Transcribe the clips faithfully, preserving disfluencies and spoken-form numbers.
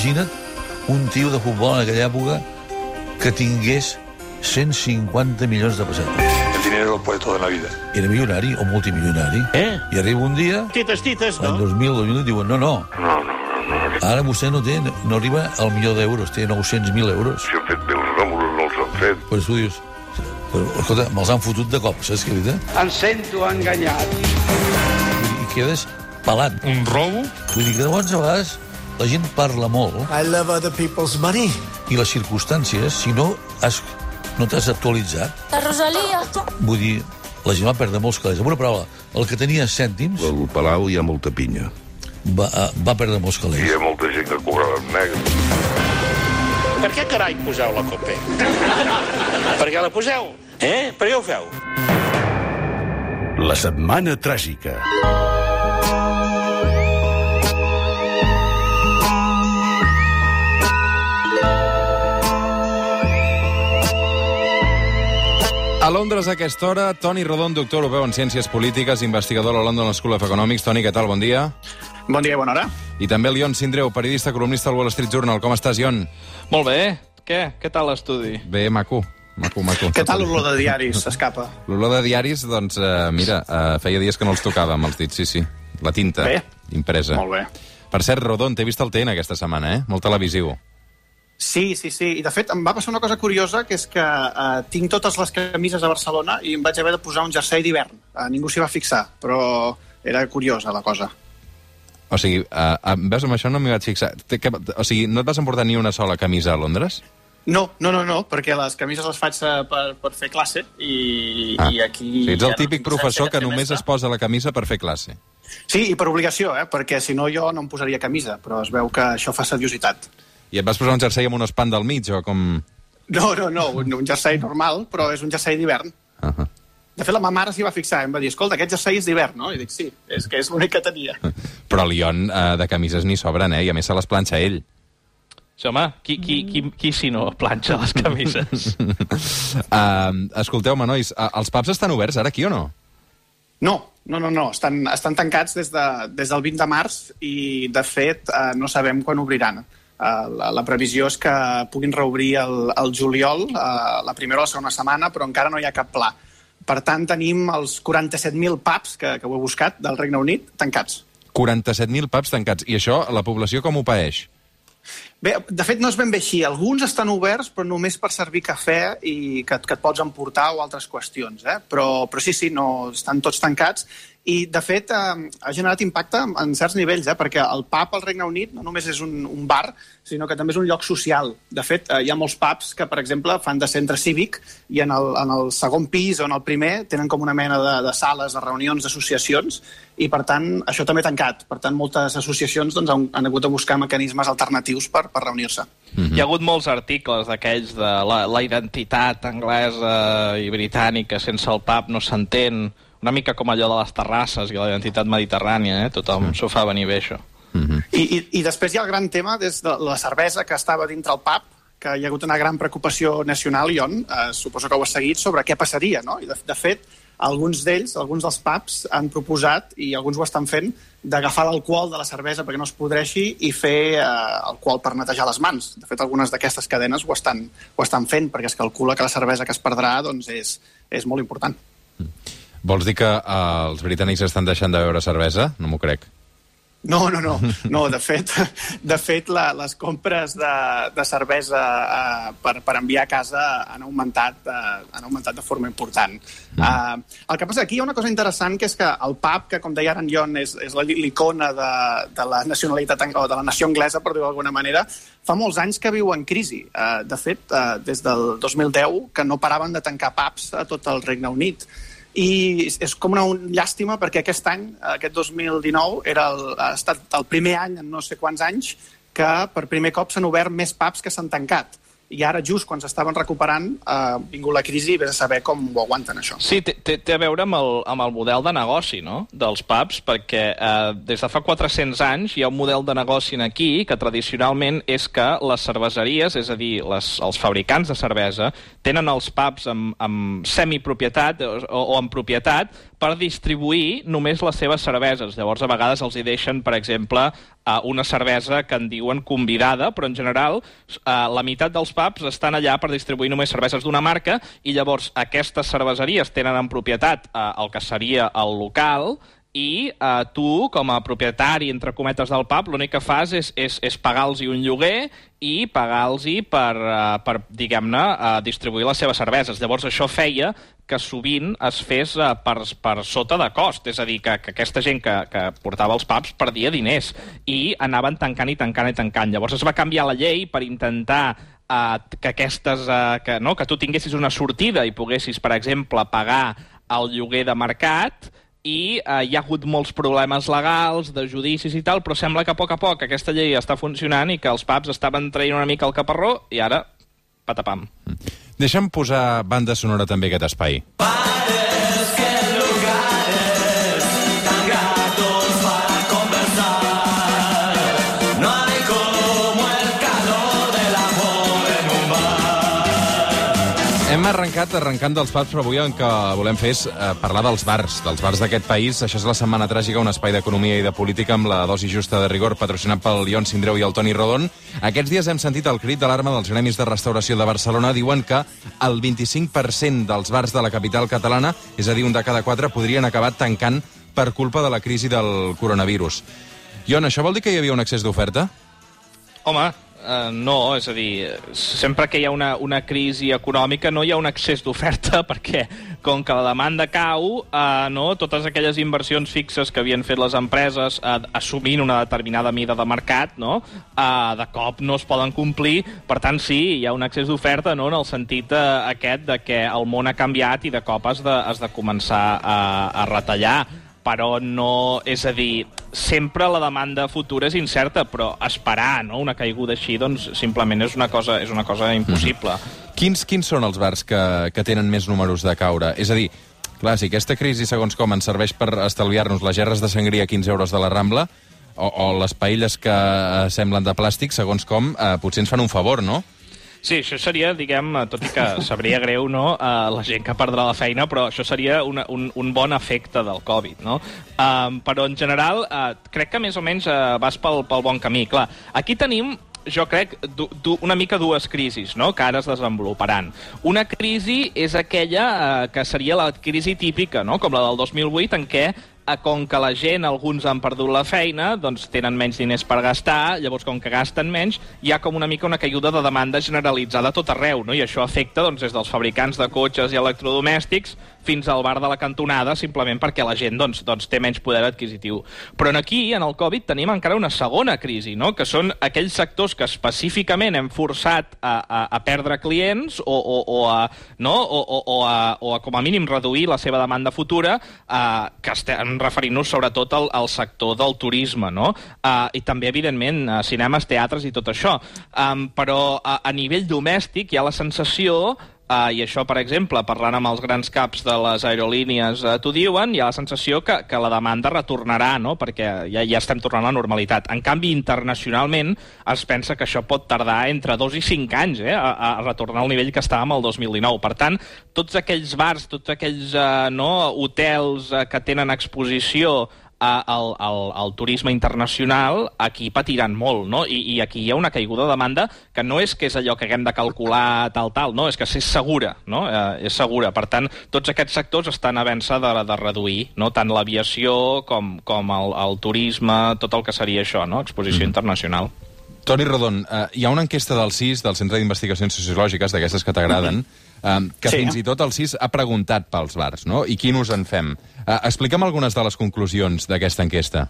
imagina't un tio de futbol en aquella època que tingués cent cinquanta milions de pessetes. El dinero lo puede todo en la vida. Era milionari o multimilionari. Eh? I arriba un dia, Tites, tites, l'any no? dos mil, dos mil, diuen, no, no, No, no, no, no. ara vostè no té, no arriba al milió d'euros, té nou-cents mil euros. Si han fet bé els ròmulos, no els han fet. Pues tu dius, però, escolta, me'ls han fotut de cop, saps què dir? Em sento enganyat. I quedes pelat. Un robo? Vull dir que de vegades, a vegades la gent parla molt I love other people's money. i les circumstàncies, si no has, no t'has actualitzat, La Rosalia. vull dir, la gent va perdre molts calés. Amb una paraula, el que tenia cèntims Al Palau hi ha molta pinya. va, va perdre molts Hi calés. ha molta gent que cobrava en negre. Per què carai poseu la COPE? Per què la poseu? Eh? Per què ho feu? La setmana tràgica. A Londres, a aquesta hora, Toni Rodon, doctor europeu en Ciències Polítiques, investigador a la London School of Economics. Toni, què tal? Bon dia. Bon dia i bona hora. I també el Ion Sindreu, periodista, columnista al Wall Street Journal. Com estàs, Ion? Molt bé. Què? Què tal l'estudi? Bé, maco. Maco, maco. Què tal l'olor de diaris? S'escapa. L'olor de diaris, doncs, eh, mira, eh, feia dies que no els tocava amb els dits, sí, sí. La tinta Bé. impresa. Molt bé. Per cert, Rodon, t'he vist al T N aquesta setmana, eh? Molt televisiu. Sí, sí, sí. I, de fet, em va passar una cosa curiosa, que és que eh, tinc totes les camises a Barcelona i em vaig haver de posar un jersei d'hivern. Eh, ningú s'hi va fixar, però era curiosa la cosa. O sigui, eh, eh, veus, amb això no m'hi vaig fixar. Té que, o sigui, no et vas emportar ni una sola camisa a Londres? No, no, no, no, perquè les camises les faig eh, per, per fer classe i, Ah. i aquí... O sigui, ets el ja no típic tinc professor sense que només trimestre. es posa la camisa per fer classe. Sí, i per obligació, eh, perquè si no jo no em posaria camisa, però es veu que això fa seriositat. I et vas posar un jersei amb un espant del mig, o com... No, no, no, un, un jersei normal, però és un jersei d'hivern. Uh -huh. De fet, la meva mare s'hi va fixar, em va dir, escolta, aquest jersei és d'hivern, no? I dic, sí, és que és l'únic que tenia. Però el Ion eh, de camises n'hi sobren, eh? I a més se les planxa ell. Sí, home, qui, qui, qui, qui si no planxa les camises? uh, escolteu-me, nois, uh, els pubs estan oberts ara aquí o no? No, no, no, no. Estan, estan tancats des, de, des del vint de març i, de fet, eh, no sabem quan obriran. Eh, la, la previsió és que puguin reobrir el, el juliol, eh, la primera o la segona setmana, però encara no hi ha cap pla. Per tant, tenim els quaranta-set mil pubs, que, que ho he buscat, del Regne Unit, tancats. quaranta-set mil pubs tancats. I això, la població com ho paeix? Bé, de fet, no és ben bé així. Alguns estan oberts, però només per servir cafè i que, que et pots emportar o altres qüestions. Eh? Però, però sí, sí, no, estan tots tancats. I, de fet, eh, ha generat impacte en certs nivells, eh? Perquè el pub al Regne Unit no només és un, un bar, sinó que també és un lloc social. De fet, eh, hi ha molts pubs que, per exemple, fan de centre cívic i en el, en el segon pis o en el primer tenen com una mena de, de sales, de reunions, d'associacions, i, per tant, això també ha tancat. Per tant, moltes associacions doncs, han, han hagut de buscar mecanismes alternatius per, per reunir-se. Mm-hmm. Hi ha hagut molts articles d'aquells de la, la identitat anglesa i britànica sense el pub no s'entén, una mica com allò de les terrasses i la identitat mediterrània, eh? Tothom mm. s'ho fa venir bé, això. Mm-hmm. I, i, I després hi ha el gran tema des de la cervesa que estava dintre el pub, que hi ha hagut una gran preocupació nacional, Ion, eh, suposo que ho has seguit, sobre què passaria, no? I de, de fet, alguns d'ells, alguns dels pubs, han proposat, i alguns ho estan fent, d'agafar l'alcohol de la cervesa perquè no es podreixi i fer eh, alcohol per netejar les mans. De fet, algunes d'aquestes cadenes ho estan, ho estan fent, perquè es calcula que la cervesa que es perdrà doncs, és, és molt important. Mm. Vols dir que eh, els britànics estan deixant de beure cervesa? No m'ho crec. No, no, no. no de fet, de fet la, les compres de, de cervesa eh, per, per enviar a casa han augmentat, eh, han augmentat de forma important. Mm. Eh, el que passa aquí hi ha una cosa interessant, que és que el pub, que com deia ara en Jon, és, és l'icona de, de la nacionalitat o de la nació anglesa, per dir-ho d'alguna manera, fa molts anys que viu en crisi. Eh, de fet, eh, des del dos mil deu, que no paraven de tancar pubs a tot el Regne Unit. I és com una llàstima perquè aquest any, aquest dos mil dinou, era el, ha estat el primer any en no sé quants anys que per primer cop s'han obert més pubs que s'han tancat. I ara, just quan s'estaven recuperant, ha vingut la crisi i vés a saber com ho aguanten, això. Sí, té, té, té a veure amb el, amb el model de negoci, no?, dels pubs, perquè eh, des de fa quatre-cents anys hi ha un model de negoci aquí que tradicionalment és que les cerveseries, és a dir, les, els fabricants de cervesa, tenen els pubs amb, amb semipropietat o, o en propietat per distribuir només les seves cerveses. Llavors, a vegades els hi deixen, per exemple, una cervesa que en diuen convidada, però en general la meitat dels pubs estan allà per distribuir només cerveses d'una marca i llavors aquestes cerveseries tenen en propietat el que seria el local i eh, tu, com a propietari, entre cometes, del pub, l'únic que fas és, és, és pagar-los un lloguer i pagar-los per, eh, per diguem-ne, eh, distribuir les seves cerveses. Llavors, això feia que sovint es fes eh, per, per sota de cost, és a dir, que, que aquesta gent que, que portava els pubs perdia diners i anaven tancant i tancant i tancant. Llavors es va canviar la llei per intentar eh, que, aquestes, eh, que, no, que tu tinguessis una sortida i poguessis, per exemple, pagar el lloguer de mercat, i eh, hi ha hagut molts problemes legals, de judicis i tal, però sembla que a poc a poc aquesta llei està funcionant i que els pubs estaven traient una mica el caparró i ara, patapam. Deixa'm posar banda sonora també aquest espai. Bares que lugares tan gratos para conversar. No hay como el calor del amor en un bar. Hem arrencat arrencant dels pubs, però avui el que volem fer és eh, parlar dels bars, dels bars d'aquest país. Això és la Setmana Tràgica, un espai d'economia i de política amb la dosi justa de rigor, patrocinat pel Ion Sindreu i el Toni Rodon. Aquests dies hem sentit el crit d'alarma dels gremis de restauració de Barcelona. Diuen que el vint-i-cinc per cent dels bars de la capital catalana, és a dir, un de cada quatre, podrien acabar tancant per culpa de la crisi del coronavirus. Ion, això vol dir que hi havia un excés d'oferta? Home, Uh, no, és a dir, sempre que hi ha una, una crisi econòmica no hi ha un excés d'oferta perquè com que la demanda cau, uh, no, totes aquelles inversions fixes que havien fet les empreses uh, assumint una determinada mida de mercat, no, uh, de cop no es poden complir. Per tant, sí, hi ha un excés d'oferta, no, en el sentit uh, aquest de que el món ha canviat i de cop has de, has de començar a, a retallar. Però no, és a dir, sempre la demanda futura és incerta, però esperar, no, una caiguda així, doncs simplement és una cosa, és una cosa impossible. Mm-hmm. Quins, quins són els bars que, que tenen més números de caure? És a dir, clar, si aquesta crisi, segons com, ens serveix per estalviar-nos les gerres de sangria a quinze euros de la Rambla, o, o les paelles que eh, semblen de plàstic, segons com, eh, potser ens fan un favor, no? Sí, això seria, diguem, tot i que sabria greu, no?, uh, la gent que perdrà la feina, però això seria una, un, un bon efecte del Covid, no? Um, però, en general, uh, crec que més o menys uh, vas pel, pel bon camí. Clar, aquí tenim, jo crec, du, du, una mica dues crisis, no?, que ara es desenvoluparan. Una crisi és aquella uh, que seria la crisi típica, no?, com la del dos mil vuit, en què com que la gent, alguns han perdut la feina, doncs tenen menys diners per gastar, llavors com que gasten menys, hi ha com una mica una caiguda de demanda generalitzada a tot arreu, no? I això afecta doncs, des dels fabricants de cotxes i electrodomèstics fins al bar de la cantonada, simplement perquè la gent doncs, doncs, té menys poder adquisitiu. Però aquí, en el Covid, tenim encara una segona crisi, no?, que són aquells sectors que específicament hem forçat a, a, a perdre clients o, o, o, a, no? o, o, o, a, o a, com a mínim, reduir la seva demanda futura, eh, que estem referint-nos sobretot al, al sector del turisme, no? Uh, I també, evidentment, uh, cinemes, teatres i tot això. Um, però uh, a nivell domèstic hi ha la sensació, uh, i això, per exemple, parlant amb els grans caps de les aerolínies uh, t'ho diuen, hi ha la sensació que, que la demanda retornarà, no?, perquè ja, ja estem tornant a la normalitat. En canvi, internacionalment, es pensa que això pot tardar entre dos i cinc anys eh, a, a retornar al nivell que estàvem el dos mil dinou. Per tant, tots aquells bars, tots aquells uh, no, hotels uh, que tenen exposició al, al, al turisme internacional, aquí patiran molt, no? I, i aquí hi ha una caiguda de demanda que no és que és allò que haguem de calcular tal, tal, no, és que és segura, no? Eh, és segura. Per tant, tots aquests sectors estan havent-se de, de reduir, no? Tant l'aviació com, com el, el turisme, tot el que seria això, no? Exposició mm. internacional. Toni Rodon, eh, hi ha una enquesta del C I S, del Centre d'Investigacions Sociològiques, d'aquestes que t'agraden, eh, que sí, fins i tot el C I S ha preguntat pels bars, no? I quin us en fem? Eh, explica'm algunes de les conclusions d'aquesta enquesta.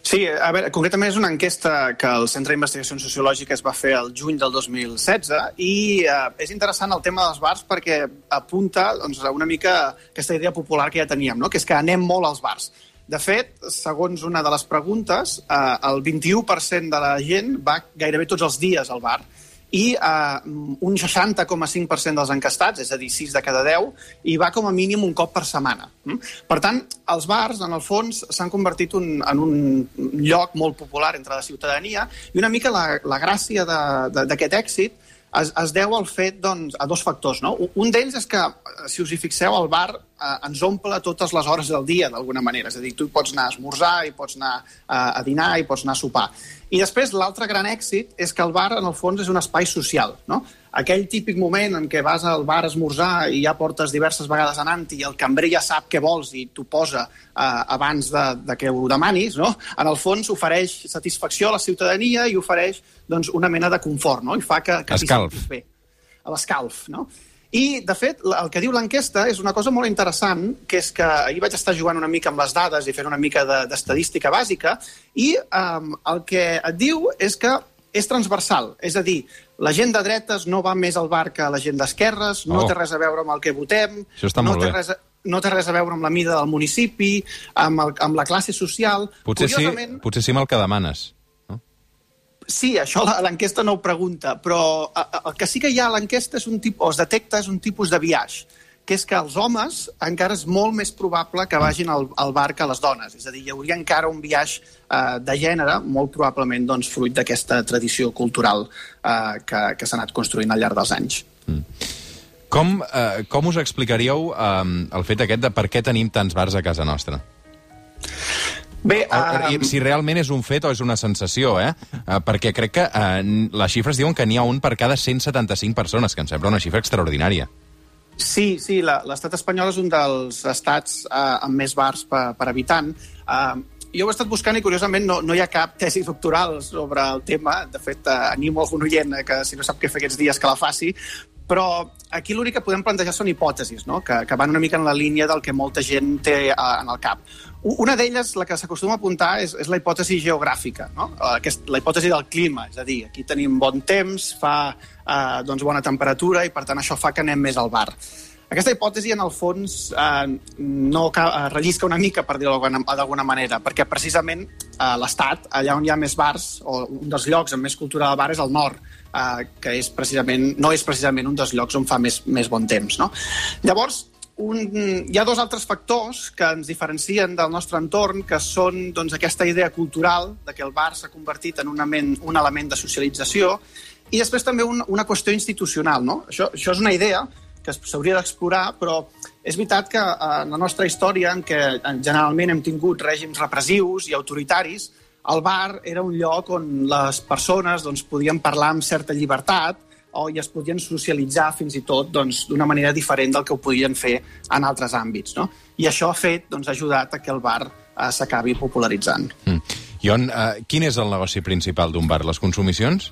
Sí, a veure, concretament és una enquesta que el Centre d'Investigacions Sociològiques va fer el juny del dos mil setze i eh, és interessant el tema dels bars perquè apunta doncs, una mica aquesta idea popular que ja teníem, no? Que és que anem molt als bars. De fet, segons una de les preguntes, eh, el vint-i-u per cent de la gent va gairebé tots els dies al bar i eh, un seixanta coma cinc per cent dels encastats, és a dir, sis de cada deu, hi va com a mínim un cop per setmana. Per tant, els bars, en el fons, s'han convertit un, en un lloc molt popular entre la ciutadania i una mica la, la gràcia d'aquest èxit es, es deu al fet, doncs, a dos factors, no? Un d'ells és que, si us hi fixeu, el bar eh, ens omple totes les hores del dia, d'alguna manera. És a dir, tu hi pots anar a esmorzar, hi pots anar eh, a dinar, hi pots anar a sopar. I després, l'altre gran èxit és que el bar, en el fons, és un espai social, no? Aquell típic moment en què vas al bar a esmorzar i ja portes diverses vegades anant-hi i el cambrer ja sap què vols i t'ho posa eh, abans de, de que ho demanis, no? En el fons ofereix satisfacció a la ciutadania i ofereix, doncs, una mena de confort, no? I fa que, que t'hi sentis bé. A l'escalf, no? I, de fet, el que diu l'enquesta és una cosa molt interessant, que és que ahir vaig estar jugant una mica amb les dades i fent una mica d'estadística bàsica, i um, el que et diu és que és transversal, és a dir, la gent de dretes no va més al bar que la gent d'esquerres, no oh. té res a veure amb el que votem, no té, res a, no té res a veure amb la mida del municipi, amb, el, amb la classe social... Potser, Curiosament, sí, potser sí amb el que demanes. No? Sí, això l'enquesta no ho pregunta, però el que sí que hi ha a l'enquesta és un tipus, o es detecta és un tipus de biaix, que és que els homes encara és molt més probable que vagin al, al bar que les dones. És a dir, hi hauria encara un biaix eh, de gènere, molt probablement doncs, fruit d'aquesta tradició cultural eh, que, que s'ha anat construint al llarg dels anys. Mm. Com, eh, com us explicaríeu eh, el fet aquest de per què tenim tants bars a casa nostra? Bé, uh... si realment és un fet o és una sensació, eh? Uh, perquè crec que uh, les xifres diuen que n'hi ha un per cada cent setanta-cinc persones, que em sembla una xifra extraordinària. Sí, sí, l'estat espanyol és un dels estats eh, amb més bars per, per habitant. Eh, jo ho he estat buscant i, curiosament, no, no hi ha cap tesi doctoral sobre el tema. De fet, eh, animo algun oient que, si no sap què fer aquests dies, que la faci. Però aquí l'únic que podem plantejar són hipòtesis, no? que, que van una mica en la línia del que molta gent té eh, en el cap. Una d'elles, la que s'acostuma a apuntar, és, és la hipòtesi geogràfica, no? Aquest, la hipòtesi del clima, és a dir, aquí tenim bon temps, fa eh, doncs bona temperatura i, per tant, això fa que anem més al bar. Aquesta hipòtesi, en el fons, eh, no eh, rellisca una mica, per dir-ho d'alguna manera, perquè precisament eh, l'Estat, allà on hi ha més bars, o un dels llocs amb més cultura del bar és el nord, eh, que és precisament, no és precisament un dels llocs on fa més, més bon temps, no? Llavors, Un, hi ha dos altres factors que ens diferencien del nostre entorn, que són doncs, aquesta idea cultural de que el bar s'ha convertit en un element, un element de socialització, i després també un, una qüestió institucional. No? Això, això és una idea que s'hauria d'explorar, però és veritat que en la nostra història, en què generalment hem tingut règims repressius i autoritaris, el bar era un lloc on les persones doncs, podien parlar amb certa llibertat, o i es podien socialitzar fins i tot doncs, d'una manera diferent del que ho podien fer en altres àmbits. No? I això ha fet, doncs, ha ajudat a que el bar eh, s'acabi popularitzant. Mm. Ion, eh, quin és el negoci principal d'un bar? Les consumicions?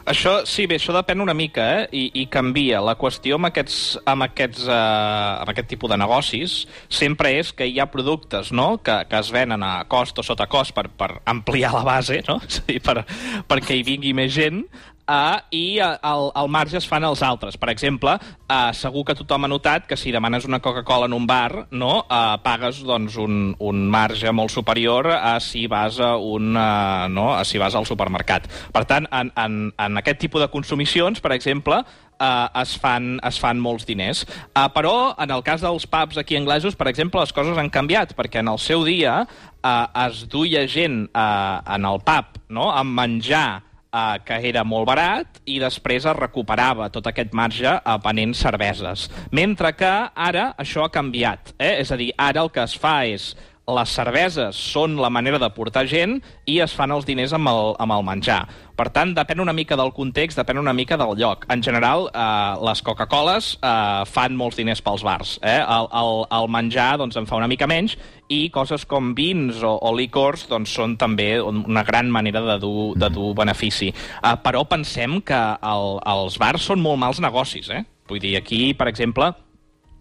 Això, sí, bé, això depèn una mica, eh? I, i canvia. La qüestió amb aquests, amb, aquests, uh, amb aquest tipus de negocis sempre és que hi ha productes, no?, que, que es venen a cost o sota cost per, per ampliar la base, no?, és a dir, per, perquè hi vingui més gent, Uh, i uh, el, el marge es fan els altres. Per exemple, uh, segur que tothom ha notat que si demanes una Coca-Cola en un bar, no, uh, pagues doncs, un, un marge molt superior a si vas a un, uh, no, a si vas al supermercat. Per tant, en, en, en aquest tipus de consumicions, per exemple, Uh, es, fan, es fan molts diners. Uh, però, en el cas dels pubs aquí anglesos, per exemple, les coses han canviat, perquè en el seu dia uh, es duia gent uh, en el pub, no?, amb menjar Uh, que era molt barat, i després es recuperava tot aquest marge uh, venent cerveses. Mentre que ara això ha canviat. Eh? És a dir, ara el que es fa és les cerveses són la manera de portar gent i es fan els diners amb el, amb el menjar. Per tant, depèn una mica del context, depèn una mica del lloc. En general, eh, les Coca-Coles eh, fan molts diners pels bars. Eh? El, el, el menjar doncs, en fa una mica menys, i coses com vins o, o licors doncs, són també una gran manera de dur, de dur benefici. Eh, però pensem que el, els bars són molt mals negocis. Eh? Vull dir, aquí, per exemple,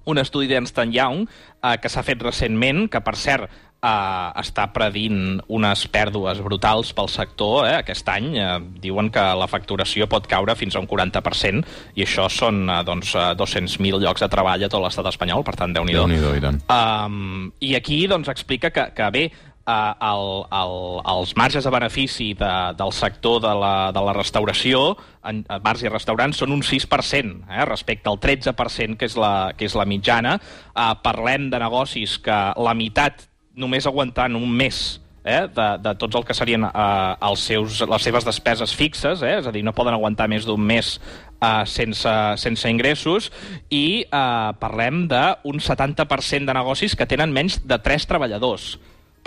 un estudi d'Ernst and Young eh, que s'ha fet recentment, que, per cert, eh, està predint unes pèrdues brutals pel sector. Eh, aquest any eh, diuen que la facturació pot caure fins a un quaranta per cent, i això són eh, doncs, dos-cents mil llocs de treball a tot l'estat espanyol, per tant, Déu-n'hi-do. Déu-n'hi-do, i tant. Um, I aquí doncs, explica que, que bé, Uh, el, el, els marges de benefici de, del sector de la, de la restauració, en bars i restaurants, són un sis per cent, eh, respecte al tretze per cent que és la, que és la mitjana. Uh, parlem de negocis que la meitat només aguantant un mes eh, de, de tots el que serien eh, els seus, les seves despeses fixes, eh, és a dir, no poden aguantar més d'un mes eh, sense, sense ingressos, i eh, parlem d'un setanta per cent de negocis que tenen menys de tres treballadors.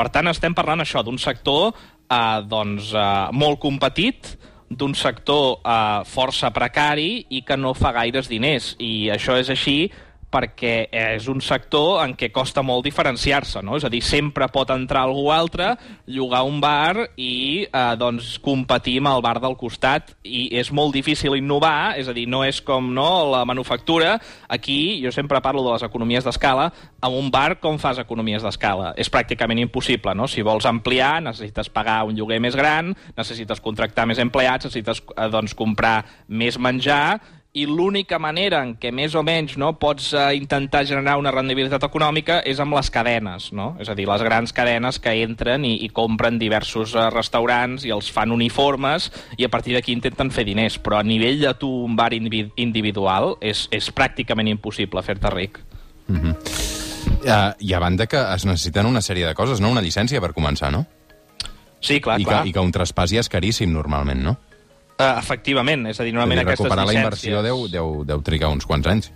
Per tant, estem parlant això d'un sector eh, doncs, eh, molt competit, d'un sector eh, força precari i que no fa gaires diners. I això és així perquè és un sector en què costa molt diferenciar-se, no? És a dir, sempre pot entrar algú altre, llogar un bar i eh, doncs, competir amb el bar del costat, i és molt difícil innovar, és a dir, no és com no, la manufactura. Aquí, jo sempre parlo de les economies d'escala, amb un bar com fas economies d'escala? És pràcticament impossible, no? Si vols ampliar, necessites pagar un lloguer més gran, necessites contractar més empleats, necessites eh, doncs, comprar més menjar, i l'única manera en què més o menys no, pots eh, intentar generar una rendibilitat econòmica és amb les cadenes, no? És a dir, les grans cadenes que entren i, i compren diversos eh, restaurants i els fan uniformes i a partir d'aquí intenten fer diners, però a nivell de tu un bar individual és, és pràcticament impossible fer-te ric. Mm-hmm. uh, I a banda que es necessiten una sèrie de coses, no? Una llicència per començar, no? Sí, clar, I clar. Que, I que un traspàs ja és caríssim normalment, no? Uh, efectivament, és a dir, normalment aquestes llicències... Recuperar la inversió deu, deu, deu trigar uns quants anys.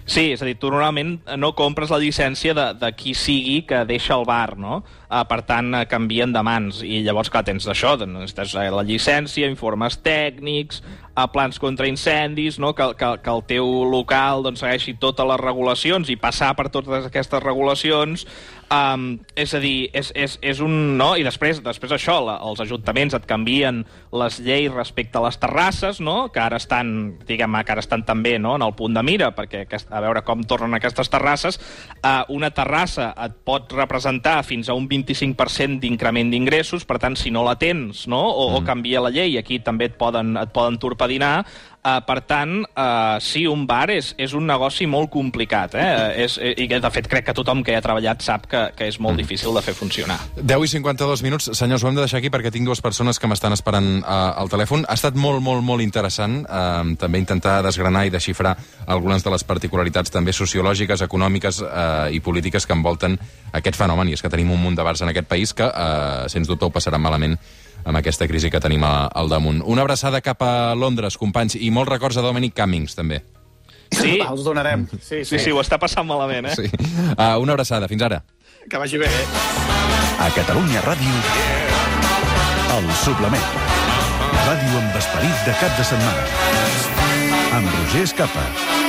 Sí, és a dir, tu normalment no compres la llicència de, de qui sigui que deixa el bar, no? Uh, per tant, uh, canvien de mans, i llavors, clar, tens d'això, necessites la llicència, informes tècnics, uh, plans contra incendis, no? que, que, que el teu local doncs, segueixi totes les regulacions i passar per totes aquestes regulacions. Um, és a dir, és, és, és un... No? I després, després això, la, els ajuntaments et canvien les lleis respecte a les terrasses, no? que ara estan, diguem, que ara estan també no? en el punt de mira, perquè a veure com tornen aquestes terrasses. Uh, una terrassa et pot representar fins a un vint-i-cinc per cent d'increment d'ingressos, per tant, si no la tens, no? o, mm. o canvia la llei, aquí també et poden, et poden torpedinar. Uh, per tant, uh, sí, un bar és, és un negoci molt complicat, eh? és, i de fet crec que tothom que hi ha treballat sap que, que és molt difícil de fer funcionar. deu i cinquanta-dos minuts. Senyors, ho hem de deixar aquí perquè tinc dues persones que m'estan esperant uh, al telèfon. Ha estat molt, molt, molt interessant uh, també intentar desgranar i desxifrar algunes de les particularitats també sociològiques, econòmiques uh, i polítiques que envolten aquest fenomen, i és que tenim un munt de bars en aquest país que, uh, sens dubte, ho passaran malament amb aquesta crisi que tenim al damunt. Una abraçada cap a Londres, companys, i molts records a Dominic Cummings, també. Sí, Va, els donarem. Sí, sí, sí, sí, ho està passant malament, eh? Sí. Uh, una abraçada, fins ara. Que vagi bé. A Catalunya Ràdio, El Suplement. Ràdio amb esperit de cap de setmana. Amb Roger Escapa.